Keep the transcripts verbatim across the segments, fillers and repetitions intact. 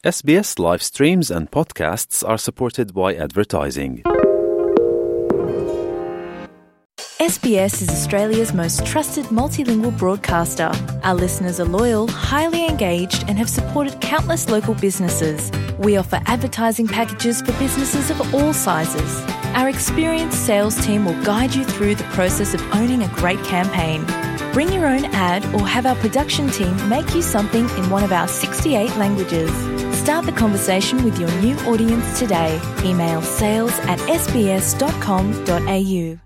S B S live streams and podcasts are supported by advertising. S B S is Australia's most trusted multilingual broadcaster. Our listeners are loyal, highly engaged and have supported countless local businesses. We offer advertising packages for businesses of all sizes. Our experienced sales team will guide you through the process of owning a great campaign. Bring your own ad or have our production team make you something in one of our sixty-eight languages. Start the conversation with your new audience today. Email sales at s b s dot com dot a u.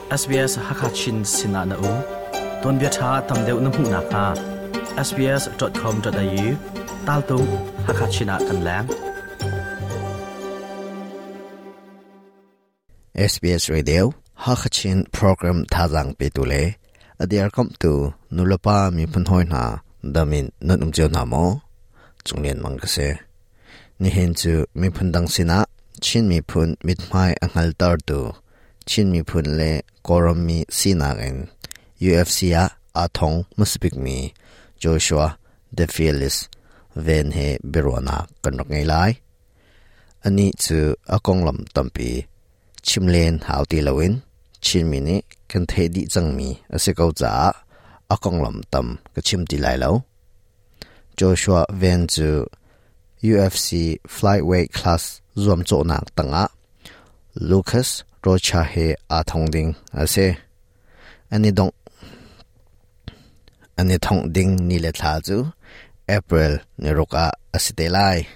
S B S Hakachin Sinana U Ton Bia Tha Tam Deuh Na Hmuh Nak Hnga S B S dot com dot a u Tal Tung Hakachina Kan Lang S B S Radio Hakachin Program Thazang Pe Tu Le Adiar Kom Tu Nulapa Mi Phun Hoi Na Damin Nun Um Chiu Na Mo Chunglen Mang Ka Se Ni Hen Chu Mi Phun Dang Sina Chin Mi Phun Mit Mai Anghal Tar Tu Chin Mi Phun Le Korom Mi Sinak In U F C A A Thong Musipik Mi Joshua The Fearless Ven He Birwana Kan Rak Ngai Lai Ani Chu Akong Lam Tampi Chimlen Hau Ti Lawin Chin Mi Ni Kan The Di Chang Mi Ase Kau Cha Akong Lam Tam Ka Chim Ti Lai Lo Joshua Ven Chu U F C Flyweight Class Zuam Cho Nak Tanga Lucas Rocha He A Thong Ding Ase Ani Dong Ani Thong Ding Ni Le Tha Chu April Ni Roka Asite Lai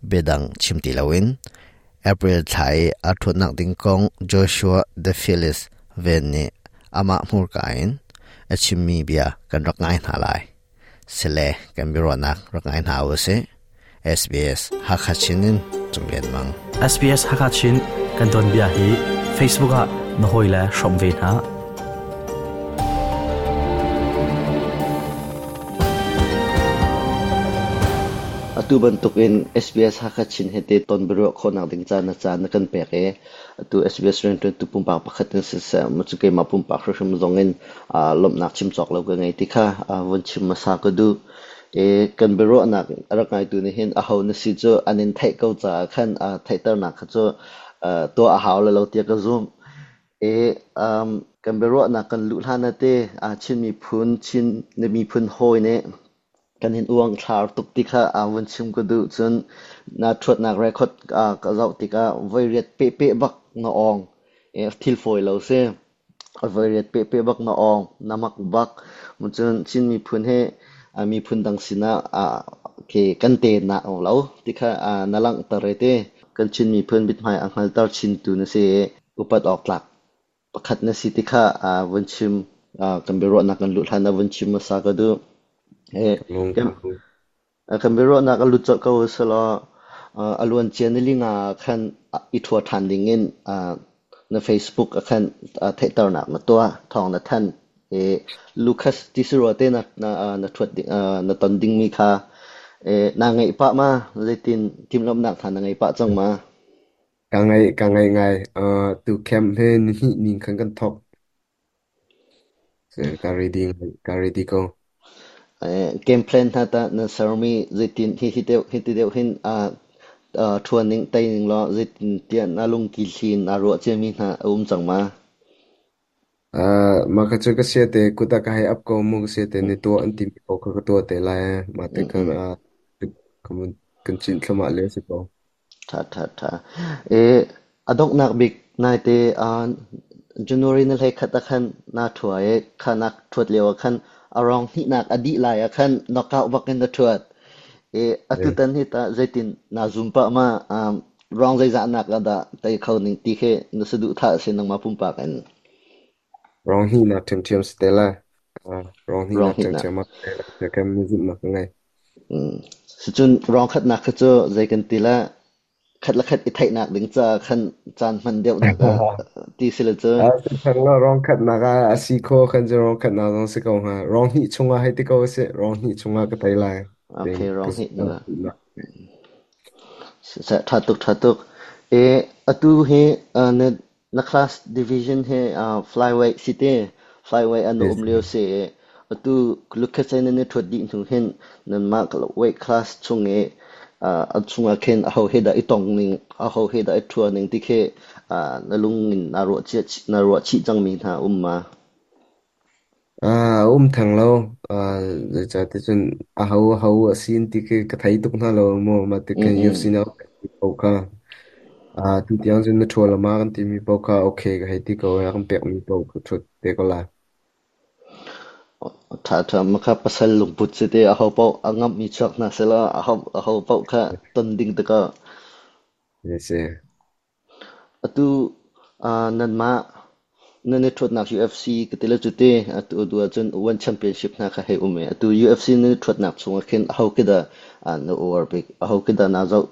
Bedang Chim Ti Lawin April Thai A Thut Nak Ding Kong Joshua The Fearless Ven Ni Ama Hmur Ka In A Chim Mi Bia Kan Rak Ngai Hna Lai Sele Kan Bi Ro Nak Rak Ngai Hna U Se S B S Hakachinin Chunglen Mang S B S Hakachin Kan Don Bia Hi Facebook a na hoi la shom ve na Atu bantuk in S B S Hakachin hete ton bero khonak ding cha na cha na kan pek e atu S B S ren tu pumpak pakhat in se se mu chu ke ma pumpak hrim zong in a lom nak chim chok lo ka ngai ti kha a won chim ma sa ka du e kan bero nak arak ngai tu ni hin a ho na si chu anin thai ko cha khan a thai tar nak kha chu to a haw la lo tia ka zoom e um kan bero nak kan lu hlan na te a chin mi phun chin ne mi phun hoi ne kan hin uang thlar tuk ti kha a won chim ko du chun na thot nak record a ka zau ti ka voi riat pe pe bak na ong e thil foi lo se voi riat pe pe bak na ong namak bak mu chun chin mi phun he a mi phun dang sina a ke kan te na ong lo ti kha a nalang tare te kan chin mi phun bit mai anghal tar chin tu na se upat ok tlak pakhat na si ti kha a won chim a kan bero na kan lu thlan na won chim ma sa ka du Eh, kan bero nak alu chok ko selo aluan chian ni linga khan i thua than ding in na Facebook khan thaitar nak na tua thong na than e Lucas Tisuro te na na na thuat na ton ding mi kha e na ngai pa ma letin tim lom nak than na ngai pa chang ma ka ngai ka ngai ngai tu camp he ni ning khan kan thok se ka reading ka ready ko game plan tha ta na sarmi zetin hi hi deuh hi ti deuh hin a thuan ning tai ning lo zetin tian na lung ki thlin na ro che mi na um chang ma a ma ka chu ka se te kuta ka hai ap ko mu se te ni to an ti mi ko ka to te la ma te kan a kan kan chin thlama le se ko tha tha tha e adok nak bik nai te a January na lai khat khan na thua e khanak thuat lewa khan arong hi nak adi lai a khan knockout bakin na thuat e atutan hi ta zaitin na zoom pa ma rong zai za nak ada tai khau ning ti khe na sudu tha se nang ma pum pa kan rong hi na them them stella rong hi na them them ma te kam mi zum nak ngai si chun rong khat nak kha chu zai kan ti la khat la khat i thai nak ding cha khan chan man deuh nak a ti sila chu a thang la rong khat nak a si kho khan je rong khat na rong se ko ha rong hi chunga hai ti ko se rong hi chunga ka tai lai okay rong hi na sa tha tuk tha tuk e atu he na na class division he flyweight city flyweight anu um leo se Atu lukhetsai nan i ṭhuat dih hnu hin nanmah weight class chung i a chungah khin aho he dah i tong ning, aho he dah i ṭhua ning ti khi na lung in naa ruah cia naa ruah chih cangmi hna um ma? Ah, um theng lo. Ah, zeicahtiah cun aho aho a sin ti khi ka thei tuk hna lo mu. Mah ti Mm khin mm. U F C na paoh kha. Ah, tu tiang cun na ṭhual ma kan timi paoh kha okay ka hei ti ko i a kan pekmi paoh ka ṭhut te ko lai. Ṭha ṭha makha pasal lungput si te aho paoh a ngamhmi chuak hna selaw aho aho paoh kha ton ding te ko. Yes, eh. Atu ah nanmah nan i ṭhuatnak U F C ka ti le cute atu atu ahcun One Championship hna kha hei um i atu U F C nan i ṭhuatnak chungah khin aho khi dah ah na uar bik, aho khi dah naa zoh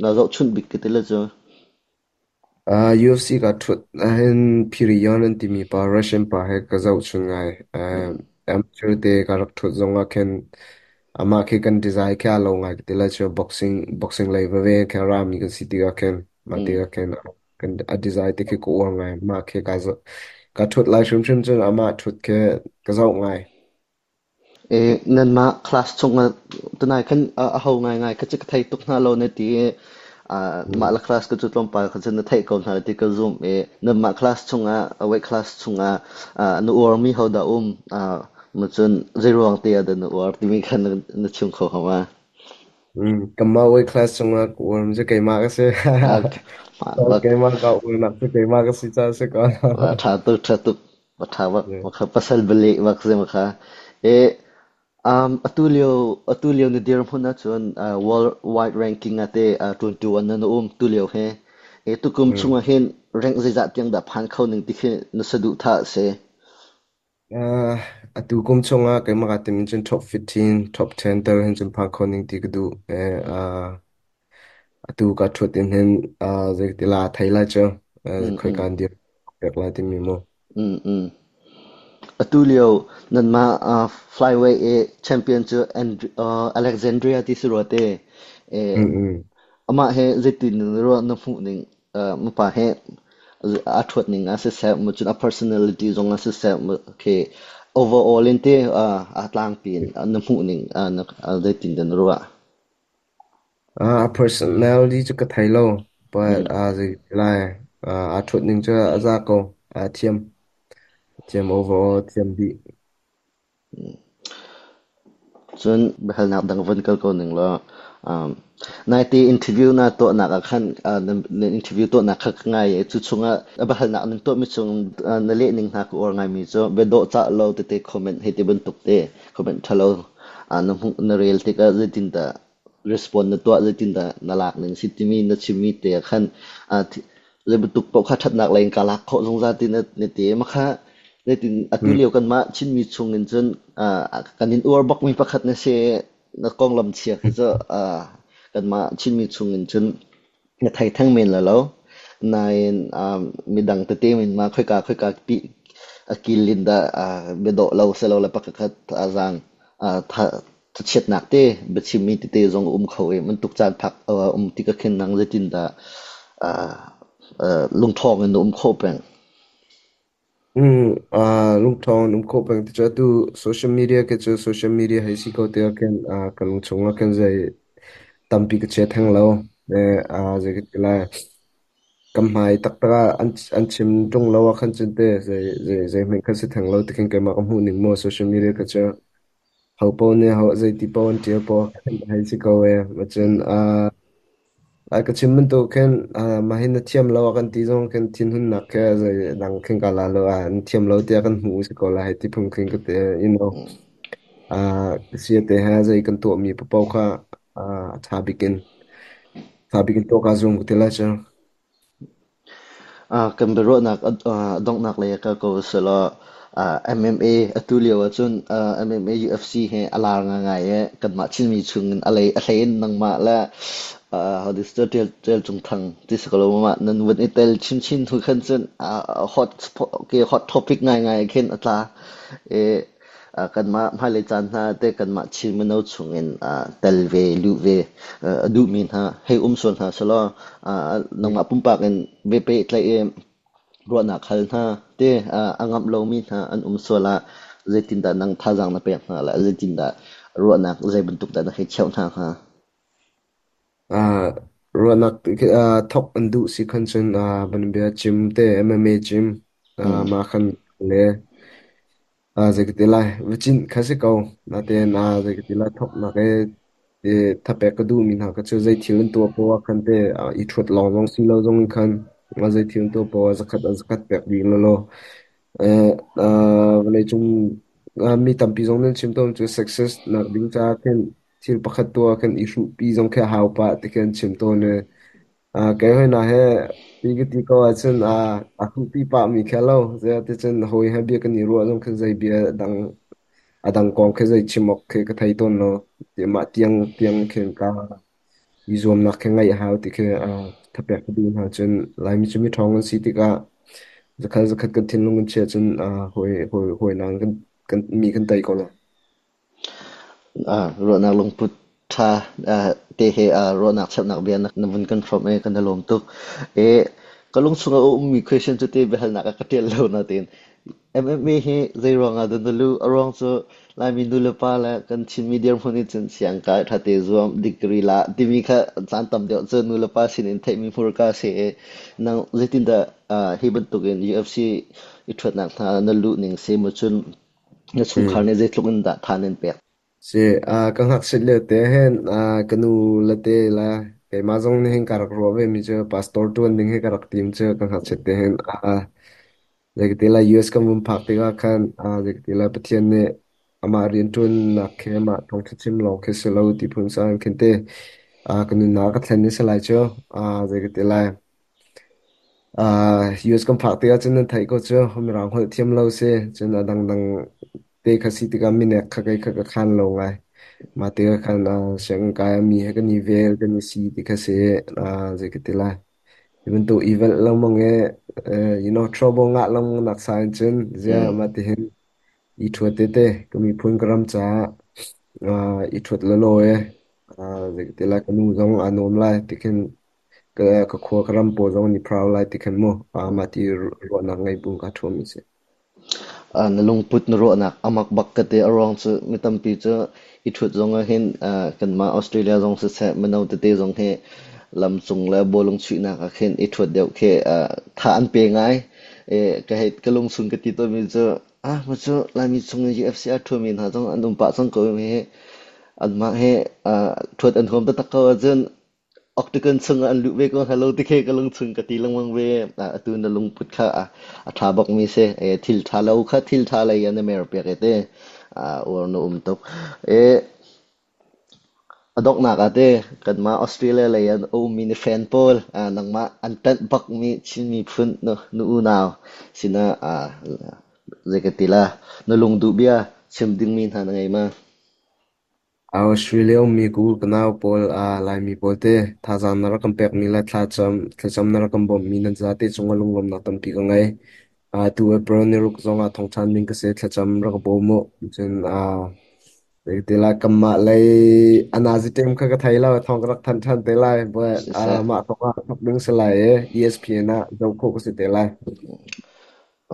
naa zohchunh bik ka ti le cu? Ah, U F C ka ṭhut ahhin Phirion an timi pa Russian pa he ka zohchun ngai. Ah, amateur te ka rak ṭhut zong ah khin amah khi kan design khi aa lo ngai ka ti lai cu boxing boxing lei veve khin a rami kan si tikah khin mah Mm. tikah khin kan a design te khi ka uar ngai. Mah khi ka zoh ka ṭhut lai hrimhrim cun amah ṭhut khi ka zoh ngai. E, nanmah class chungah tunai khan a a ho ngaingai kha cu ka thei tuk hna lo na ti i ah, mah Hmm. la class ka cu tlawmpal kha cun na theih ko hna ti ka zumh i nanmah class chungah weight class chungah ah, na uarmi ho dah um ah, ma cun zeiruang te ah dah na uar timi kha na, na chim kho hama? Hmm. Kamah weight class chungah ka uar mi cu keimah ka si. Ah, bak Keimah ka uar nak cu keimah ka si caah si ko. ṭha tuk ṭha tuk ṭha bak Yeah. makha pasal bale bak si makha e. Um, atu lio atu lio na dirhmun ahcun uh, world wide ranking ah te uh, twenty-one na na um tu lio he e tukum Hmm. chungah hin rank zeizah tiang dah phan kho ning ti khi na saduh thah si? Uh, atu kum chungah keimah ka tim cun top fifteen, top ten tel hin cun phak kho ning ti ka duh. Eh, uh, atu ka ṭhut in hin uh, zei ti la thei lai cu. Uh, Mm khoi mm kan dir pek lai timi mu. mm mm. Atu lio nanmah uh, flyweight e champion cu And- uh, Alexandria ti si rua te e. Mm mm. Amah he zeitin na ruah, na hmuh ning, uh, mapa he aa ṭhuat ning ah siseh, mu cun a personality zong ah siseh, mu khi overall in te uh, aa tlangpi in na hmuh ning uh, na uh, zeitin dah na ruah? Uh, a personality cu ka thei lo, but Mm. uh, zei ti lai uh, aa ṭhut ning cu a za ko. Aa thiam, thiam overall, thiam dih. Cun biahalnak dang von kal ko ning law, um, naite interview na tuahnak ah khan uh, na, na interview tuahnak kha ka ngai i cu chungah a biahalnak nan tuahmi chung uh, na leh ning hna ka uar ngaimi cu bia dawh cah lo tete comment hei ti bantuk te comment ṭhalo uh, na hmuh na rel tikah zeitindah respond na tuah, zeitindah na lak ning si timi na chimmi te ah khan uh, zei bantuk paoh kha ṭhatnak lei in ka lak khawh zungzal ti na, na ti makha zeitin atu Mm. lio kanmah Chinmi chung in cun uh, kan in uar bakmi pakhat na si. Na konglam chia khi cu uh, kanmah Chinmi chung in cun na thei theng men la lo nain um, midang tete min ma khoika khoika pi a kilin dah uh, biadawh lo selo le pakhat a zang uh, tha thachiatnak te biachimmi tete zong um kho i man tuk caan phak uh, um ti ka khin nang zeitin dah uh, uh, lungṭhawng in na um kho peng? Mm, ah, lungṭhawng um khawh peng ti cu atu social media ke cu social media hei si ko tiah khin ah, ka lungchung ah khin zei tampi ka chia theng lo. Eh, ah, zei ka ti lai. Kam hmai taktak ah an an chim ṭung lo ah khan cun te zei zei zei hmanh khan si theng lo ti khin keimah ka hmuh ning maw social media ka cu ho paoh nih ho zei ti paoh an ṭial paoh khan hei si ko e. Macun ah ai ka chim bantuk khin ah mah hi na thiam lo ah kan ti zong khin thinhunnak khe zei dang khin ka la lo ah na thiam lo tiah kan hmuh si ko lai hei ti phung khin ka ti you know ah sia te ha zei kan tuah mi paoh kha ah a ṭha bik in ṭha bik in tuah kaa zuam ka ti lai cu. Ah, kan biaruahnak a donghnak lei ah kal ko selaw ah, M M A atu lio ahcun ah, M M A U F C he a lar ngaingai i kanmah Chinmi chungin a lei a hlei in nangmah le ah, how this Ṭial Ṭial Cung Thang ti si ko lo mah nan vun i tel chinchin hnu khan cun ah, hot ke hot topic ngaingai khin a tla i ah, kanmah hmailei caan hna te kanmah Chin mino chungin ah, tel ve luh ve ah, a duhmi hna hei um sual hna selaw ah, nangmah pumpak in ve pehtlaih i ruahnak hal hna te ah, a ngamh lomi hna an um sual ah Zeitindah nang thazaang na pek hna la, zeitindah ruahnak zei bantuk dah na hei cheuh hna hnga? Ah, ruahnak ah thok an duh si khan cun ah banbia gym te M M A gym ah Mm. ma khan le ah zei ka ti lai vachin kha si ko naten ah zei ka ti lai thok nak e te thapek ka duh mi hna ka chu zei thil an tua po khan te i thut long zong si lo zong khan a zei thil an tua po zakhat zakhat pek ding lo lo eh vawlei cung mi tampi zong nan chim tawn cu success nak ding ca khin thil pakhat tua khan i hruh pi zong kha hau pa ti khan chim tawn e ah kai hoi na he ti ka ti ko ahcun ah a hruh pi pa mi kha lo zia ti cun hawi he bia kan i ruah zong khan zei bia dang adang kong khi zei chim awk khi ka thei tawn lo ti mah tiang tiang khin ka i zuamnak khi ngaih a hau ti khi ah thapek ka duh hna. Cun Laimi cu mi ṭhawng an si tikah zakhat zakhat kan thinlung kan chia cun ah hawi hawi hawi nang kan kan mi kan tei ko lai. Ah, ruahnak lungput ṭha ah, te he ah, ruahnak cheuhnak bia na na vun kan hrawmh i kan i lawm tuk. E, ka lung chungah a ummi question cu te biahalnak ah ka ṭial lo nain M M A hi zei ruangah dah na luh? A ruang cu Laimi nu le pa le kan Chinmi dirhmun in cun siangkai ṭha te zuam, degree la timi kha caan tam deuh cu nu le pa sinin theihmi hmurka si i nang zeitindah ah, hi bantukin U F C i ṭhuatnak hna na luh ning si maw, cun na chungkhar Hmm. nih zeitluk in dah tha nan pek? Si ah ka ngakchit lio te hin ah ka nu le te le keimah zong nih hin ka rak ruah ve mi cu pastor ṭuan ding hi ka rak tim cu ka ngakchit te hin. ah Zeikatila U S kan vun phak tikah khan ah zeikatila Pathian nih amah rianṭuannak khi amah thawngṭha chim lawng khi si lo ti phun sang khin te ah ka nunnak ka thlen ni si lai cu. ah zeikatila ah U S kan phak tikah cun nan theih ko cu, Mirang holh thiam lo si cun a dangdang te kha si tikah minek kha kei kha ka khan lo ngai. Mah tikah khan ah sianginn kai ah mi he kan i vel kan i si ti kha si. ah zeikatila hi bantuk i velh lengmang i eh, you know trouble ngah lengmang nak sa in cun ziah Mm. mah tihin i ṭhuat tete ka miphun ka ram caah ah i ṭhuat lawlaw e ah zeitilai ka nu zong aa nuam lai ti khin, ka ka khua ka ram pawl zong an i proud lai ti khin mu ah mah ti ruahnak ngei bu ka ṭhuam mi si. Ah, na lungput na ruahnak amak bak ka ti. A ruang cu mi tampi cu i ṭhut zong ah hin ah, kanmah Australia zong siseh, mino tete zong hi lamcung le bawlung chuihnak ah khin i ṭhuat deuh khi ah, tha an pe ngai. E, ka hei ka lungchung ka ti tawnmi cu ah ma cu Laimi chung i U F C a ṭhuami hna zong an um pah cang ko hi, anmah he ah, ṭhuat an huam taktak ko ahcun octagon chungah an luh ve ko hnga lo ti khi ka lungchung ka ti lengmang ve. Ah, atu na lungput kha a a ṭha bakmi si. E, thil ṭha lo kha thil ṭha lei ah na mer piak e te. Ah, uar na um tuk. E, a donghnak ah te kanmah Australia lei an ummi ni fan pawl, ah, nangmah an ṭanh bakmi Chin miphun nu, nu unau sinah ah, zei ka ti la, na lungduh bia chim dingmi hna na ngei ma? Australia ummi ku ka nau pawl ah Laimi pawl te thazaang na rak kan pekmi le thlacam thlacam na rak kan bawmhmi nan zate cungah lunglawmhnak tampi ka ngei. Ah tu April ni ruk zong ah thongṭhan ding ka si, thlacam rak ka bawm u. Cun ah zeitila kanmah lei anazi team kha ka thei lo, thong ka rak than ṭhan te lai, but ah Siseh. mah thong ah thok ding si lai i E S P N ah zoh khawh ka si te lai.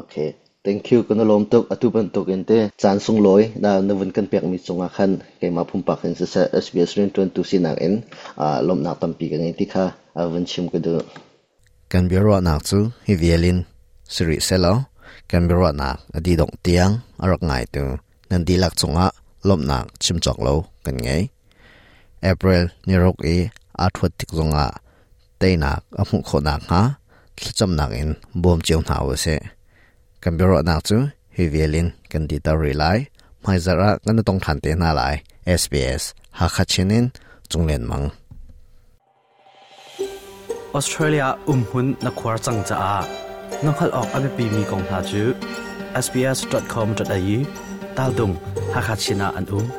Okay. Thank you, kan lawm tuk. Atu bantuk in te caan sunglawi na na vun kan pekmi cungah khan keimah pumpak in siseh, S B S rianṭuantu sinak in ah lawmhnak tampi ka ngei ti kha ah vun chim ka duh. Kan biaruahnak cu hi vialin siri selaw, kan biaruahnak a dih dongh tiang a rak ngaitu nan dihlak cungah lawmhnak chim cawk lo kan ngei. April ni ruk i aa ṭhuat tik zongah teinak a hmuh khawhnak hnga thlacamnak in bawm cio hna u sih. Kan biaruahnak cu hi vialin kan diter rih lai. Hmaizarh ah kan i tong ṭhan te hna lai. S B S Hakha Chin in Cunglen Mang. Australia umhun na khuar cang caah na hngalh awk a biapimi kong hna cu S B S dot com dot A U tal tung Hakha Chin ah an um.